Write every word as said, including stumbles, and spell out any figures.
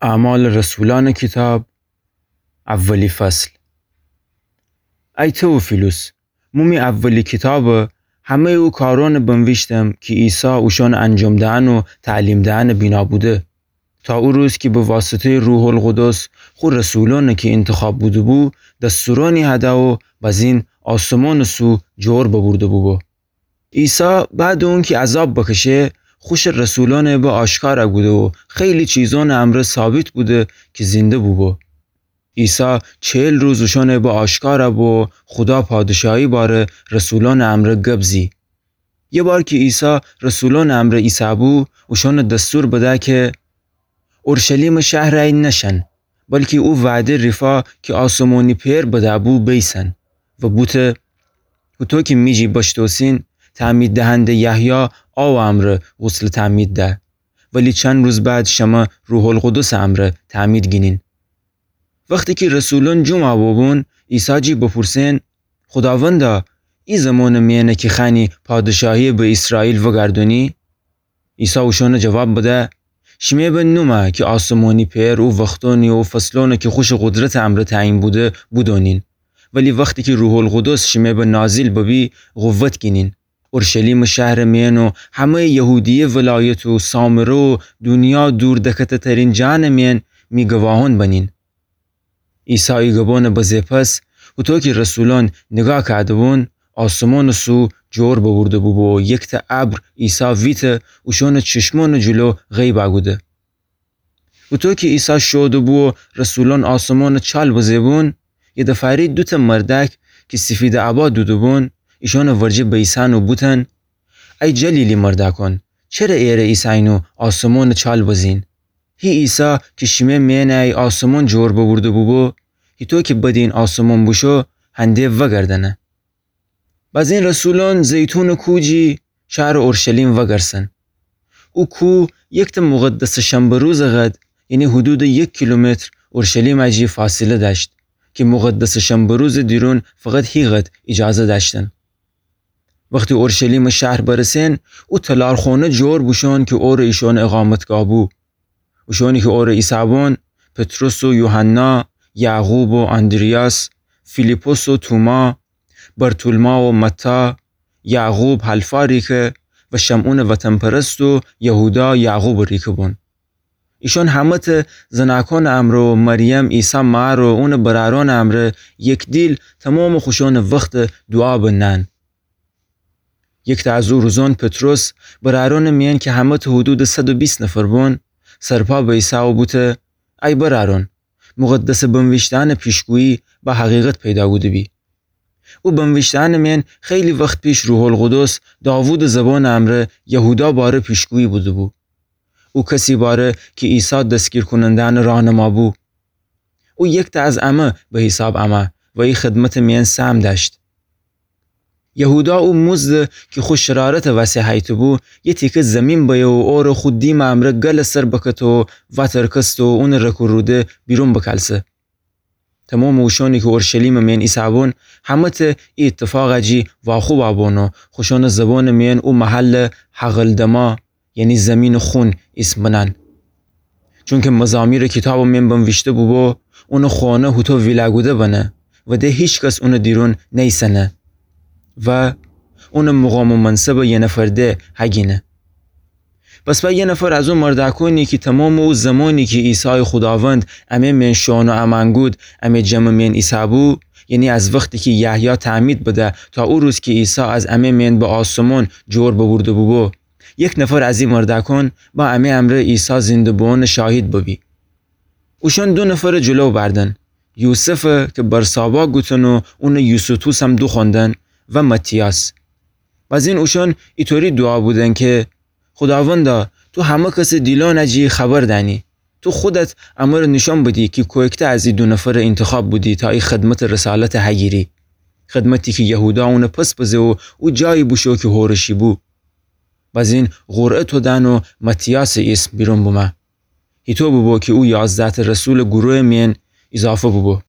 اعمال رسولأنٚ کیتاب، اولی فصل. ای تئوفیلوس، مو می اولی کیتابٚ همه‌یٚ او کارأنٚ بنویشتم کی عیسی اوشأنٚ انجام دئن و تعلیم دئنٚ بینا بوده، تا او روز کی به واسطه‌یٚ روح‌القدس خو رسولأنٚ کی اینتخاب بوده‌بو، دستورأنی هده و بزین آسمانٚ سو جور ببورده بوبو. عیسی بعدٚ اونکی عذاب بکشه، خوشٚ رسولأنٚ به آشکار کوده و خیلی چیزأنٚ امرأ ثابت بوده کی زنده بوبو. عیسی چهل روز اوشأنٚ به آشکار بو و خودا پادشاهی باره رسولأنٚ امرأ گب زی. یه بار کی عیسی رسولأنٚ امرأ ایسه‌بو، اوشأنٚ دستور بده کی اورشلیمٚ شهر ای نشن، بلکی او وعده ریفا کی آسمانی پئر بده‌بو بیسن و بوته: هوطو کی می جی بشتوسین، تعمید دهنده یحیی آوٚ امرأ غسلٚ تعمید ده، ولی چند روز بعد شمه روح‌القدسٚ امرأ تعمید گینین. وختی کی رسولأن جمع بوبون، عیسی جی بپورسن: خوداوندا، ای زمانٚ میأنه کی خوأنی پادشاهی به ایسرائیل وگردونی؟ عیسی اوشأنٚ جواب بده: شیمه به نومه کی آسمانی پئر او وختأنی و فصلأنی کی خوشٚ قدرتٚ امرأ تعیین بوده، بودونین. ولی وختی کی روح‌القدس شیمه به نازل ببی، قوت گینین. اورشلیمٚ شهرٚ میأن و همه‌یٚ یهودیه ولایت و سامره و دونیا دوردکته‌ترین جانٚ میأن می گواهأن بنین. عیسی ای گبأنٚ بزه پس، هوطو کی رسولأن نیگاه کوده‌بون، آسمانٚ سو جور ببورده بوبو و یکته ابر عیسی ویته اوشأنٚ چشمأنٚ جلو غیب کوده. هوطو کی عیسی شوده بو و رسولأن آسمانٚ چال بزه بون، یه دفعه‌ری دوته مردأک کی سفیدٚ ابا دوده بون، ایشأنٚ ورجه بیسن و بوتن: ای جلیلی مردأکأن، چره ایره ایسه‌یین و آسمانٚ چال بزین؟ هی عیسی کی شیمه میأنه ای آسمان جور ببورده بوبو، هیطو کی بدین آسمان بوشو، هنده وگردأنه. بزین رسولأن زیتونٚ کوه جی شهرٚ اورشلیم وگرسن. او کوه یکته مقدسٚ شنبه روزٚ قد، یعنی حدودٚ یک کیلومتر اورشلیم جی فاصله دأشت، کی مقدسٚ شنبه روزٚ دیرون فقط هی قد ایجازه دأشتن. وختی اورشلیمٚ شهر برسن، او تلارخونه جور بوشون کی اوره ایشأنٚ اقامتگاه بو. اوشأنی کی اوره ایسه‌بون، پطرس و یوحنا، یعقوب و آندریاس، فیلیپس و توما، برتولما و متی، یعقوب حلفا ریکه و شمعونٚ وطن‌پرست و یهودا یعقوبٚ ریکه بون. ایشأن همه‌ته زنأکأنٚ امرأ و مریم عیسی مأر و اونٚ برأرأنٚ امرأ یک دیل تومامٚ خوشأنٚ وخت دوعا بنن. یکته از او روزأن پطرس، برأرأنٚ میأن کی همه‌ته حدودٚ صد و بیست نفر بون، سرپا بیسه و بوته: ای برأرأن، مقدسٚ بنویشته‌یأنٚ پیشگویی به حقیقت پیدا کوده بی. او بنویشته‌یأنٚ میأن خیلی وخت پیش روح‌القدس داوودٚ زبانٚ امرأ یهودا باره پیشگویی بوده بو. او کسی باره کی عیسی دستگیرکوننده‌یأنٚ راهنما بو. او یکته از امه به حیساب امه و ای خدمتٚ میأن سهم دأشت. یهودا او مزده کی خو شرارتٚ وسه هیته بو، یه تیکه زیمین بیه و اوره خو دیمٚ امرأ گلٚ سر بکته و واترکسته و اونٚ رک و روده بیرون بکلسه. تومامٚ اوشأنی کی اورشلیمٚ میأن ایسه‌بون، همه‌ته ای ایتفاقٚ جی واخوبَ بون و خوشأنٚ زبانٚ میأن او محل حقلدما، یعنی زیمینٚ خون، ایسم بنن. چونکی مزامیرٚ کیتابٚ میأن بنویشته بوبو: اونٚ خانه هوطو ویله کوده بنه و ده هیکس اونٚ دیرون نیسه‌نه و اونٚ مقام و منصبٚ یه نفر ده هگینه. پس به یه نفر از او مردأکأنی کی تومامٚ او زمانی کی عیسایٚ خوداوند امه میأن شوئون و امأن کود، امه جمعٚ میأن ایسه‌بو، یعنی از وختی کی یحیی تعمید بده تا او روز کی عیسی از امه میأن به آسمان جور ببورده بوبو، یک نفر از ای مردأکأن به امه امرأ عیسی زنده بوئونٚ شاهد ببی. اوشأن دو نفرٚ جلو بأردن، یوسفٚ کی برسابا گوتن و اونٚ یوستوس هم دوخوأندن، و متیاس. بزین اوشأن ایطوری دوعا بودن کی: خوداوندا، تو همه کسٚ دیلأنٚ جی خبر دأنی. تو خودت امر نیشأن بدی کی کویکته از ای دو نفر اینتخاب بودی تا ای خدمتٚ رسالت هگیری. خدمتی کی یهودا اونٚ پس بزه و او جایی بوشو کی هورشی بو. بزین قرعه تودن و متیاسٚ ایسم بیرون بومه. هیطو بوبو کی او یازده‌تأ رسولٚ گروهٚ میأن ایضافه بوبو.